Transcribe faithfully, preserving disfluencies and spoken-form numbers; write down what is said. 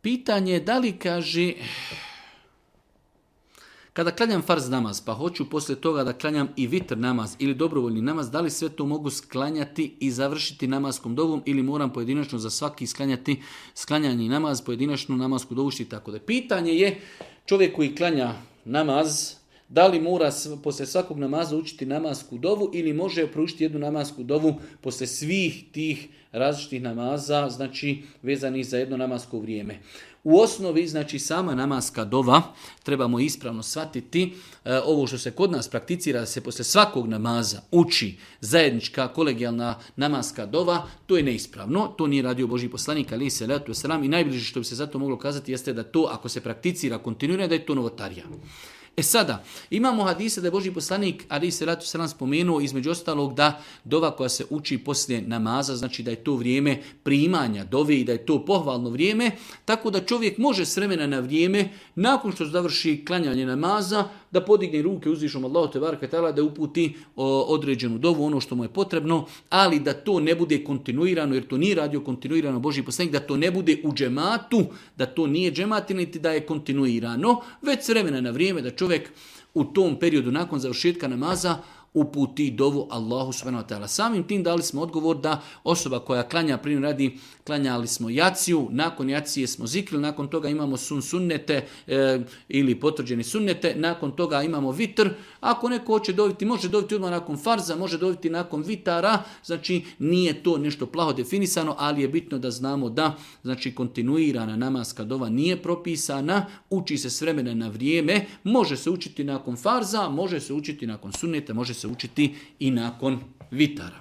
pitanje je da li kaže, kada klanjam farz namaz, pa hoću poslije toga da klanjam i vitr namaz ili dobrovoljni namaz, da li sve to mogu sklanjati i završiti namaskom dovom ili moram pojedinačno za svaki sklanjati sklanjanje namaz, pojedinačnu namasku dovu i tako da. Pitanje je čovjek koji klanja namaz, da li mora poslije svakog namaza učiti namasku dovu ili može proučiti jednu namasku dovu poslije svih tih različitih namaza, znači vezanih za jedno namasko vrijeme. U osnovi, znači sama namaska dova, trebamo ispravno shvatiti, e, ovo što se kod nas prakticira, da se poslije svakog namaza uči zajednička kolegijalna namaska dova, to je neispravno, to nije radio Božji poslanik, alejhi selatu vesselam, i najbliže što bi se zato moglo kazati jeste da to, ako se prakticira kontinuirano, da je to novotarija. E sada, imamo hadise da je Božji poslanik alejhi selatu vesselam spomenuo između ostalog da dova koja se uči poslije namaza, znači da je to vrijeme primanja dove i da je to pohvalno vrijeme, tako da čovjek može s vremena na vrijeme, nakon što završi klanjanje namaza, da podigne ruke uzvišom Allahu te bareke taala, da uputi o, određenu dovu, ono što mu je potrebno, ali da to ne bude kontinuirano, jer to nije radio kontinuirano Božji poslanik, da to ne bude u džematu, da to nije džemat, niti da je kontinuirano, već s vremena na vrijeme da čovjek u tom periodu nakon završetka namaza uputi dovu Allahu subhanahu wa ta'ala. Samim tim dali smo odgovor da osoba koja klanja, primjer radi, klanjali smo jaciju, nakon jacije smo zikrili, nakon toga imamo sun sunnete e, ili potvrđeni sunnete, nakon toga imamo vitr. Ako neko hoće doviti, može doviti odmah nakon farza, može doviti nakon vitara, znači nije to nešto plaho definisano, ali je bitno da znamo da znači kontinuirana namaska dova nije propisana, uči se s vremena na vrijeme, može se učiti nakon farza, može se učiti nakon sunneta, može se učiti i nakon vitara.